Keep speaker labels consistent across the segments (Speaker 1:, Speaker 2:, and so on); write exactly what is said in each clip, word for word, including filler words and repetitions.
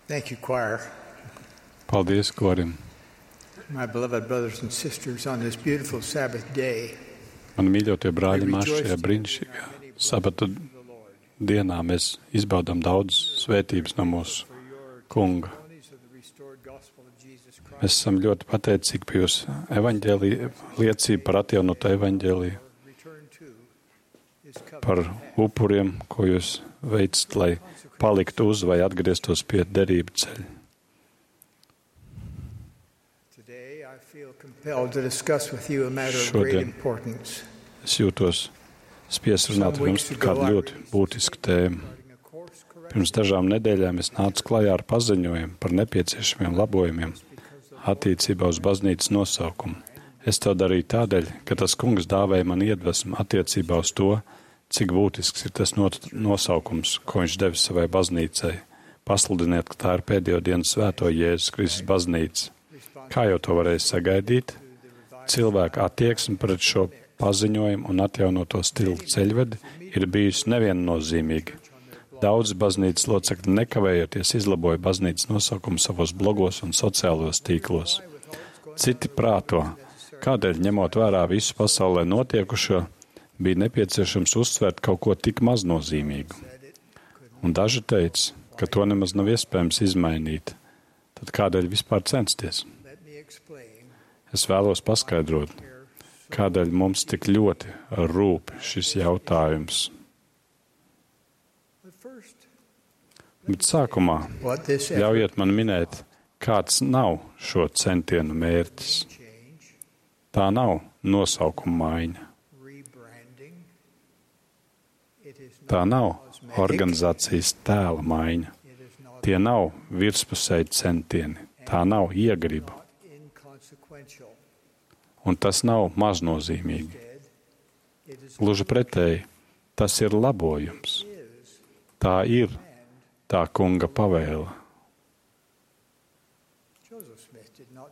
Speaker 1: Thank you, choir.
Speaker 2: Paldies, korim.
Speaker 1: My beloved brothers and sisters, on this beautiful Sabbath day,
Speaker 2: Man mīļotie brāļi, mēs šajā brīnišķīgā sabata dienā mēs izbaudām daudz svētības no mūsu kunga. Mēs esam ļoti pateicīgi par jūsu evaņģēliju, liecību par atjaunotu evaņģēliju, par upuriem, ko jūs veicat, lai paliktu uz vai atgrieztos pie derību ceļa. Šodien es jūtos spiest runāt ar jums par kādu ļoti būtisku tēmu. Pirms dažām nedēļām es nācu klajā ar paziņojumu par nepieciešamiem labojumiem attiecībā uz baznīcas nosaukumu. Es to darīju tādēļ, ka tas kungs dāvēja man iedvesmu attiecībā uz to, cik būtisks ir tas nosaukums, ko viņš devis savai baznīcai. Pasludiniet, ka tā ir pēdējo dienu svēto Jēzus Kristus baznīca. Kā jau to varēja sagaidīt, cilvēka attieksme pret šo paziņojumu un atjaunoto stilu ceļvedi ir bijusi neviennozīmīga. Daudz baznīcas locekļi nekavējoties izlaboja baznīcas nosaukumu savos blogos un sociālos tīklos. Citi prāto, kādēļ ņemot vērā visu pasaulē notiekušo, bija nepieciešams uzsvērt kaut ko tik maznozīmīgu. Un daži teica, ka to nemaz nav iespējams izmainīt. Tad kādēļ vispār censties? Es vēlos paskaidrot, kādēļ mums tik ļoti rūp šis jautājums. Bet sākumā ļaujiet man minēt, kāds nav šo centienu mērķis. Tā nav nosaukuma maiņa. Tā nav organizācijas tēla maiņa. Tie nav virspusēji centieni. Tā nav iegriba. Un tas nav maznozīmīgi. Gluži pretēji, tas ir labojums. Tā ir tā kunga pavēle.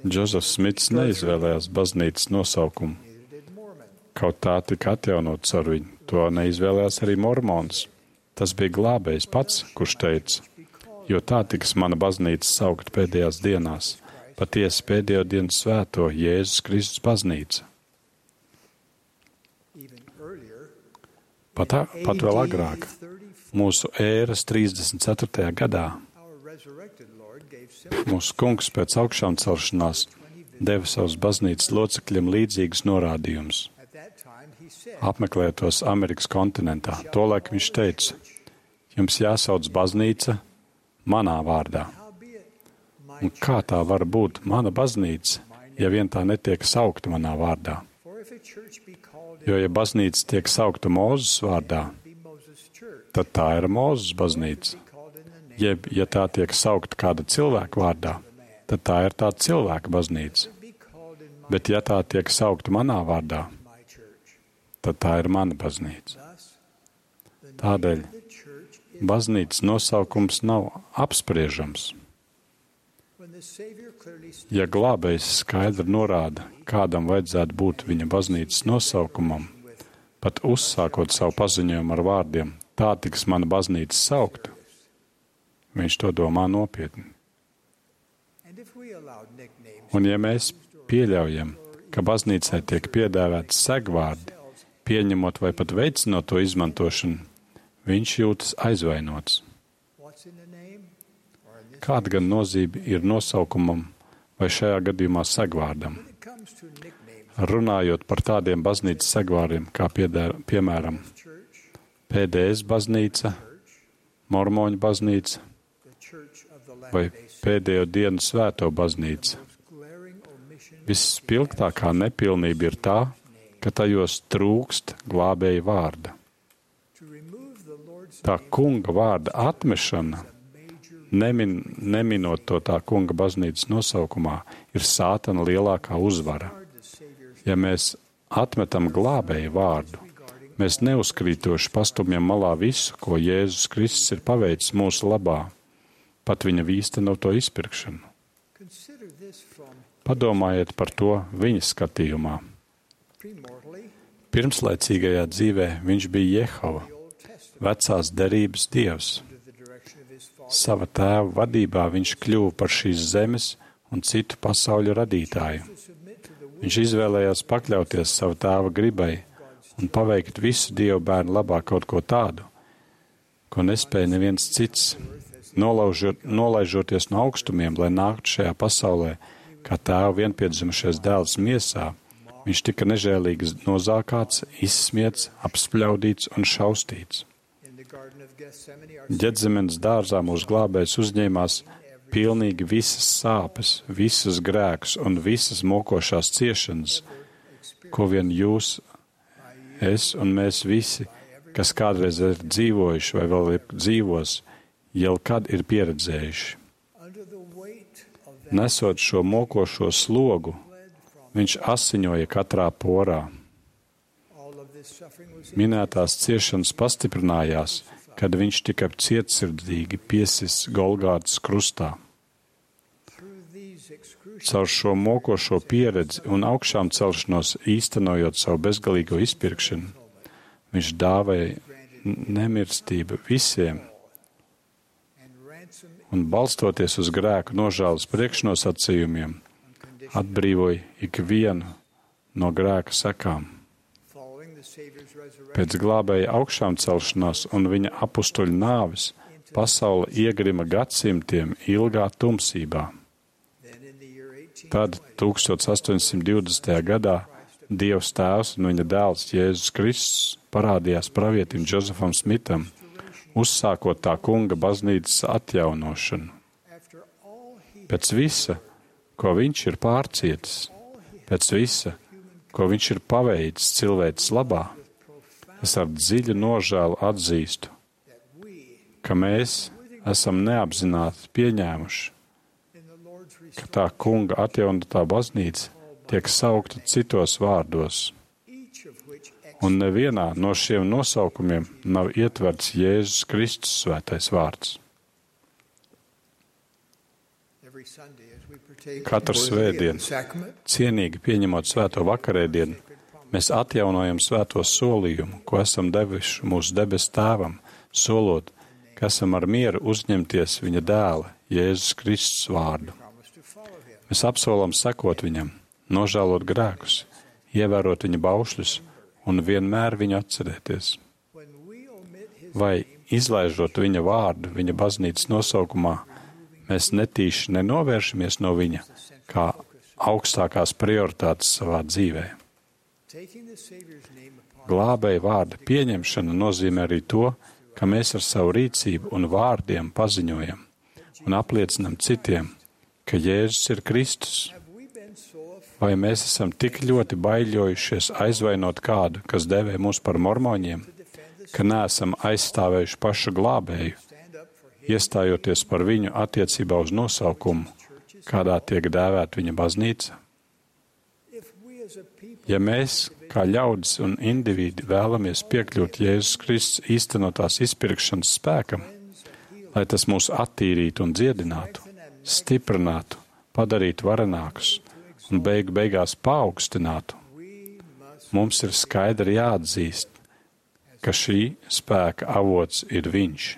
Speaker 2: Džozefs Smits neizvēlējās baznīcas nosaukumu. Kaut tā tika atjaunots ar viņu, to neizvēlējās arī mormons. Tas bija glābējs pats, kurš teica, jo tā tiks mana baznīca saukt pēdējās dienās, patiesi pēdējo dienu svēto Jēzus Kristus baznīca. Pat, pat vēl agrāk, mūsu ēras trīsdesmit ceturtajā gadā, mūsu kungs pēc augšām celšanās deva savus baznīcas locekļiem līdzīgus norādījumus. Apmeklētos Amerikas kontinentā. Tolaik viņš teica, jums jāsauc baznīca manā vārdā. Un kā tā var būt mana baznīca, ja vien tā netiek saukta manā vārdā? Jo, ja baznīca tiek saukta Mūzes vārdā, tad tā ir Mūzes baznīca. Jeb, ja tā tiek saukta kāda cilvēka vārdā, tad tā ir tā cilvēka baznīca. Bet, ja tā tiek saukta manā vārdā, tad tā ir mana baznīca. Tādēļ baznīcas nosaukums nav apspriežams. Ja glābējs skaidri norāda, kādam vajadzētu būt viņa baznīcas nosaukumam, pat uzsākot savu paziņojumu ar vārdiem, tā tiks mana baznīca saukta, viņš to domā nopietni. Un ja mēs pieļaujam, ka baznīcai tiek piedāvāti segvārdi, pieņemot vai pat veicinot to izmantošanu, viņš jūtas aizvainots. Kāda gan nozīme ir nosaukumam vai šajā gadījumā segvārdam? Runājot par tādiem baznīcas segvārdiem, kā piedēr, piemēram P D S baznīca, Mormoņu baznīca vai pēdējo dienu svēto baznīca. Visspilgtākā nepilnība ir tā, ka tajos trūkst glābēja vārda. Tā kunga vārda atmešana, nemin, neminot to tā kunga baznīcas nosaukumā, ir sātana lielākā uzvara. Ja mēs atmetam glābēja vārdu, mēs neuzkrītoši pastumjam malā visu, ko Jēzus Kristus ir paveicis mūsu labā, pat viņa īstenoto izpirkšanu. Padomājiet par to viņa skatījumā. Pirmslaicīgajā dzīvē viņš bija Jehova, vecās derības dievs. Sava tēva vadībā viņš kļuva par šīs zemes un citu pasauļu radītāju. Viņš izvēlējās pakļauties savu tēva gribai un paveikt visu Dievu bērnu labā kaut ko tādu, ko nespēja neviens cits, nolaužot, nolaižoties no augstumiem, lai nāktu šajā pasaulē, kā tēva vienpiedzimušais dēls miesā. Viņš tika nežēlīgi nozākāts, izsmiets, apspļaudīts un šaustīts. Ģetzemenes dārzā mūsu glābējs uzņēmās pilnīgi visas sāpes, visus grēkus un visas mokošās ciešanas, ko vien jūs, es un mēs visi, kas kādreiz ir dzīvojuši vai vēl ir dzīvos, jau kad ir pieredzējuši. Nesot šo mokošo slogu, viņš asiņoja katrā porā. Minētās ciešanas pastiprinājās, kad viņš tika cietsirdīgi piesis Golgātas krustā. Caur šo mokošo pieredzi un augšām celšanos īstenojot savu bezgalīgo izpirkšanu, viņš dāvēja nemirstību visiem un balstoties uz grēku nožēlas priekšnosacījumiem, atbrīvoja ikvienu no grēka sekām. Pēc glābēja augšām celšanās un viņa apustuļu nāves pasaule iegrima gadsimtiem ilgā tumsībā. Tad, tūkstoš astoņsimt divdesmitajā gadā, Dievs Tēvs un viņa dēls Jēzus Kristus parādījās pravietim Džozefam Smitam, uzsākot tā kunga baznīcas atjaunošanu. Pēc visa, ko viņš ir pārcietis, pēc visa, ko viņš ir paveicis cilvēces labā, es ar dziļu nožēlu atzīstu, ka mēs esam neapzināti pieņēmuši, ka tā kunga atjaunotā baznīca tiek saukta citos vārdos, un nevienā no šiem nosaukumiem nav ietverts Jēzus Kristus svētais vārds. Katru svētdienu, cienīgi pieņemot svēto vakarēdienu, mēs atjaunojam svēto solījumu, ko esam devuši mūsu debesu tēvam, solot, ka esam ar mieru uzņemties viņa dēla, Jēzus Kristus vārdu. Mēs apsolam sekot viņam, nožēlot grēkus, ievērot viņa baušļus un vienmēr viņu atcerēties. Vai, izlaižot viņa vārdu viņa baznīcas nosaukumā, mēs netīši nenovēršamies no viņa kā augstākās prioritātes savā dzīvē. Glābēja vārda pieņemšana nozīmē arī to, ka mēs ar savu rīcību un vārdiem paziņojam un apliecinam citiem, ka Jēzus ir Kristus. Vai mēs esam tik ļoti baiļojušies aizvainot kādu, kas devē mūs par mormoņiem, ka neesam aizstāvējuši pašu glābēju, iestājoties par viņu attiecībā uz nosaukumu, kādā tiek dēvēta viņa baznīca? Ja mēs, kā ļaudis un individi, vēlamies piekļūt Jēzus Kristus īstenotās izpirkšanas spēkam, lai tas mūs attīrītu un dziedinātu, stiprinātu, padarītu varenākus un beigu beigās paaugstinātu, mums ir skaidri jāatzīst, ka šī spēka avots ir viņš.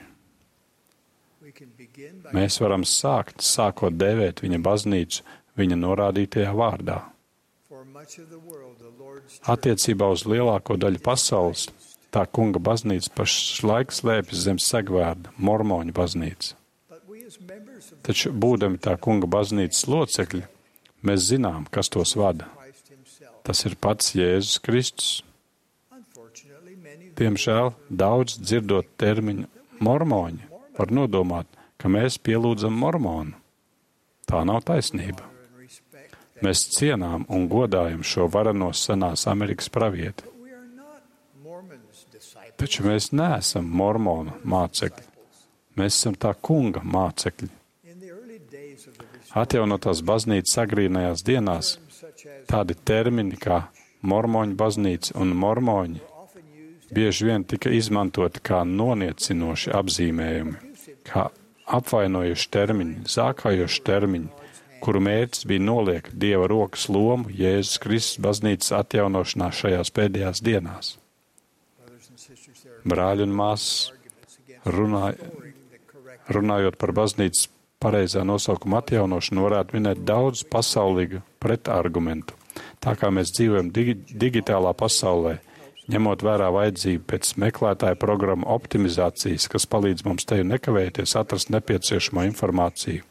Speaker 2: Mēs varam sākt, sākot dēvēt viņa baznīcu viņa norādītajā vārdā. Attiecībā uz lielāko daļu pasaules, tā kunga baznīca pašlaik slēpjas zem segvārda, mormoņu baznīca. Taču, būdami tā kunga baznīcas locekļi, mēs zinām, kas tos vada. Tas ir pats Jēzus Kristus. Diemžēl daudz dzirdot termiņu mormoņi var nodomāt, ka mēs pielūdzam mormonu. Tā nav taisnība. Mēs cienām un godājam šo vareno senās Amerikas pravieti. Taču mēs neesam mormonu mācekļi. Mēs esam tā kunga mācekļi. Atjaunotās baznīcas agrīnajās dienās tādi termini kā mormoņu baznīca un mormoņi bieži vien tika izmantoti kā noniecinoši apzīmējumi, kā apvainojuši termiņi, zākājoši termiņi, kuru mērķis bija noliekt Dieva rokas lomu Jēzus Kristus baznīcas atjaunošanā šajās pēdējās dienās. Brāļi un māsas runāja, Runājot par baznīcas pareizā nosaukuma atjaunošanu, varētu minēt daudz pasaulīgu pretargumentu. Tā kā mēs dzīvojam digi digitālā pasaulē, ņemot vērā vajadzību pēc meklētāja programmu optimizācijas, kas palīdz mums teju nekavēties atrast nepieciešamo informāciju,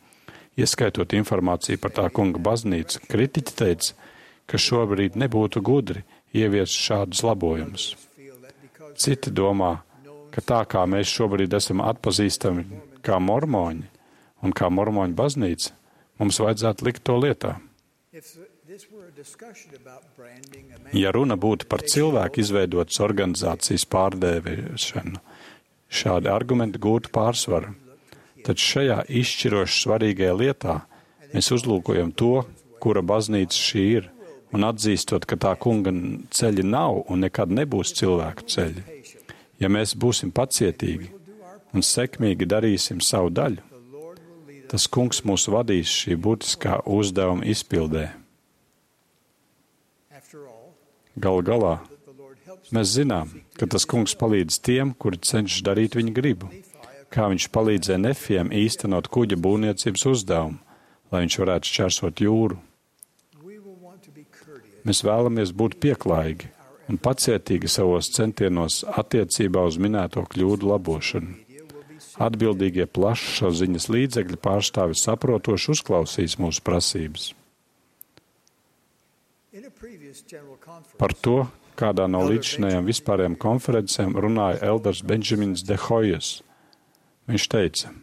Speaker 2: ieskaitot informāciju par tā kunga baznīcu, kritiķi teica, ka šobrīd nebūtu gudri ieviest šādus labojumus. Citi domā, ka tā kā mēs šobrīd esam atpazīstami kā mormoņi un kā mormoņu baznīca, mums vajadzētu likt to lietā. Ja runa būtu par cilvēku izveidotas organizācijas pārdēvēšanu, šādi argumenti gūtu pārsvaru. Taču šajā izšķiroši svarīgajā lietā mēs uzlūkojam to, kura baznīca šī ir, un atzīstot, ka tā kunga ceļi nav un nekad nebūs cilvēku ceļi. Ja mēs būsim pacietīgi un sekmīgi darīsim savu daļu, tas kungs mūs vadīs šī būtiskā uzdevuma izpildē. Galu galā, mēs zinām, ka tas kungs palīdz tiem, kuri cenšas darīt viņa gribu, kā viņš palīdzēja Nefiem īstenot kuģa būvniecības uzdevumu, lai viņš varētu šķērsot jūru. Mēs vēlamies būt pieklājīgi un pacietīgi savos centienos attiecībā uz minēto kļūdu labošanu. Atbildīgie plašsaziņas līdzekļi pārstāvi saprotoši uzklausīs mūsu prasības. Par to, kādā no līdzšinējām vispārējām konferencēm runāja elders Benjamins de Hoyes. Viņš teica,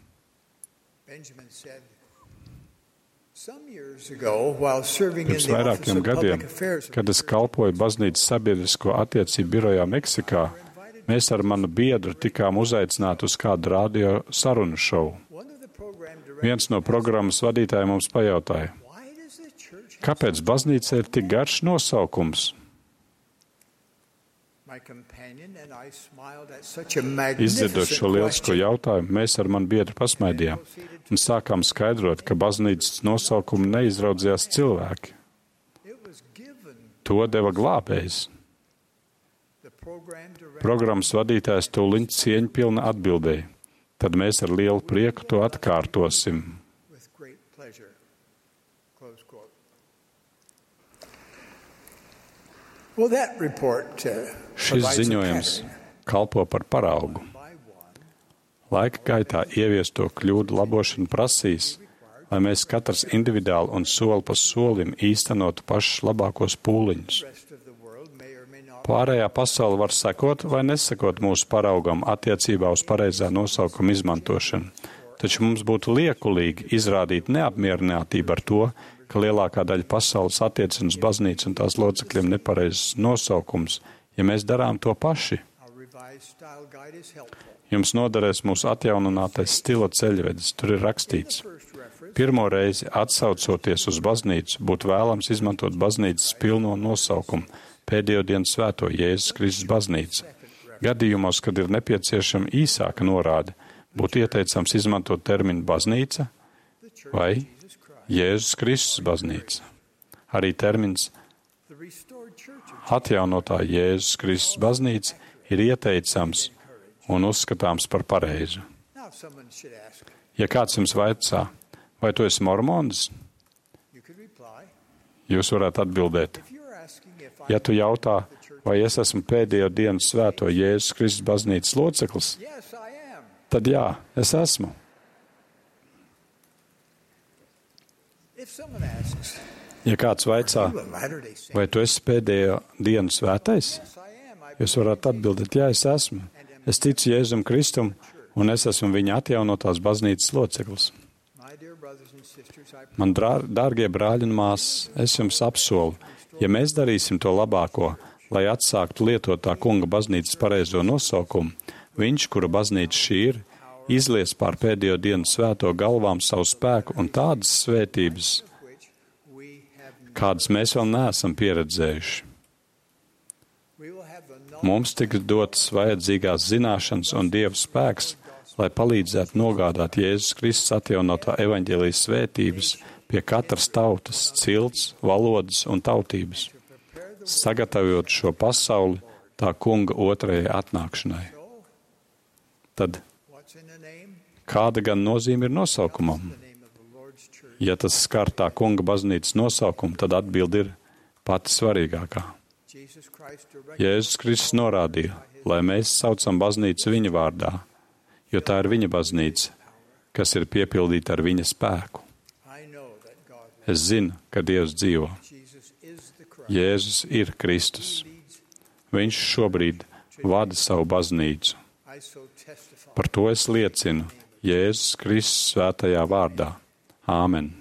Speaker 2: pirms vairākiem gadiem, kad es kalpoju baznīcas sabiedrisko attiecību birojā Meksikā, mēs ar manu biedru tikām uzaicināti uz kādu radio sarunu šovu. Viens no programmas vadītājiem mums pajautāja, kāpēc baznīca ir tik garš nosaukums? Izdzirdot šo lielisko jautājumu, mēs ar manu biedru pasmaidījām un sākām skaidrot, ka baznīcas nosaukumu neizraudzījās cilvēki. To deva glābējs. Programmas vadītājs tūliņ cieņpilni atbildēja. Tad mēs ar lielu prieku to atkārtosim.
Speaker 1: Well, that report, uh,
Speaker 2: Šis ziņojums kalpo par paraugu. Laika gaitā ieviesto kļūdu labošana prasīs, lai mēs katrs individuāli un soli pa solim īstenotu pašus labākos pūliņus. Pārējā pasaule var sekot vai nesekot mūsu paraugam attiecībā uz pareizā nosaukuma izmantošanu, taču mums būtu liekulīgi izrādīt neapmierinātību ar to, ka lielākā daļa pasaules attiecina uz baznīcu un tās locekļiem nepareizs nosaukums, ja mēs darām to paši. Jums noderēs mūsu atjauninātais stila ceļvedis, tur ir rakstīts. Pirmo reizi atsaucoties uz baznīcu, būtu vēlams izmantot baznīcas pilno nosaukumu, pēdējo dienu svēto Jēzus Kristus baznīcu. Gadījumos, kad ir nepieciešama īsāka norāde, būtu ieteicams izmantot terminu baznīca vai Jēzus Kristus baznīca. Arī termins atjaunotā Jēzus Kristus baznīca ir ieteicams un uzskatāms par pareizu. Ja kāds jums vaicā, vai tu esi mormonis, jūs varētu atbildēt. Ja tu jautā, vai es esmu pēdējo dienu svēto Jēzus Kristus baznīcas loceklis, tad jā, es esmu. Ja kāds vaicā, vai tu esi pēdējo dienu svētais, jūs varat atbildēt, jā, es esmu. Es ticu Jēzum Kristum, un es esmu viņa atjaunotās baznīcas loceklis. Man drā, dārgie brāļi un māsas, es jums apsolu, ja mēs darīsim to labāko, lai atsāktu lietot tā kunga baznīcas pareizo nosaukumu, viņš, kura baznīca šī ir, izlies pār pēdējo dienu svēto galvām savu spēku un tādas svētības, kādas mēs vēl neesam pieredzējuši. Mums tiks dotas vajadzīgās zināšanas un Dieva spēks, lai palīdzētu nogādāt Jēzus Kristus atjaunotā evaņģēlijas svētības pie katras tautas, cilts, valodas un tautības, sagatavot šo pasauli tā kunga otrajai atnākšanai. Tad, Kāda gan nozīme ir nosaukumam? Ja tas skar tā kunga baznīcas nosaukumu, tad atbildi ir pati svarīgākā. Jēzus Kristus norādīja, lai mēs saucam baznīcu viņa vārdā, jo tā ir viņa baznīca, kas ir piepildīta ar viņa spēku. Es zinu, ka Dievs dzīvo. Jēzus ir Kristus. Viņš šobrīd vada savu baznīcu. Par to es liecinu Jēzus Kristus svētajā vārdā. Āmen.